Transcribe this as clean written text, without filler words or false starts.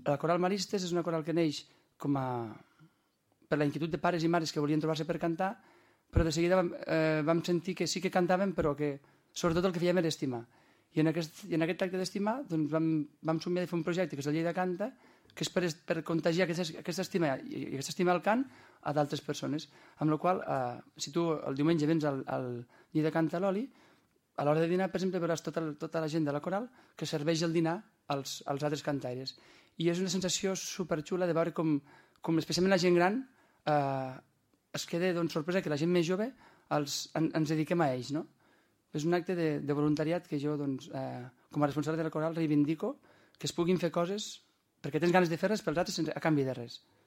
La Coral Maristes és una coral que neix per la inquietud de pares i mares que volien trobar-se per cantar, però de seguida vam sentir que sí que cantàvem, però que sobretot el que fèiem era estimar. I en aquest acte d'estimar doncs vam somiar de fer un projecte que és el Lleida Canta, que és per contagiar aquesta estima i aquesta estima al cant a d'altres persones. Amb la qual si tu el diumenge vens al Lleida Canta a l'Oli, a l'hora de dinar, per exemple, veuràs tota la gent de la coral que serveix el dinar als altres cantaires. I és una sensació superxula de veure com especialment la gent gran es queda sorpresa que la gent més jove ens dediquem a ells, no? És un acte de voluntariat que jo, com a responsable de la coral, reivindico que es puguin fer coses perquè tens ganes de fer-les pels altres a canvi de res.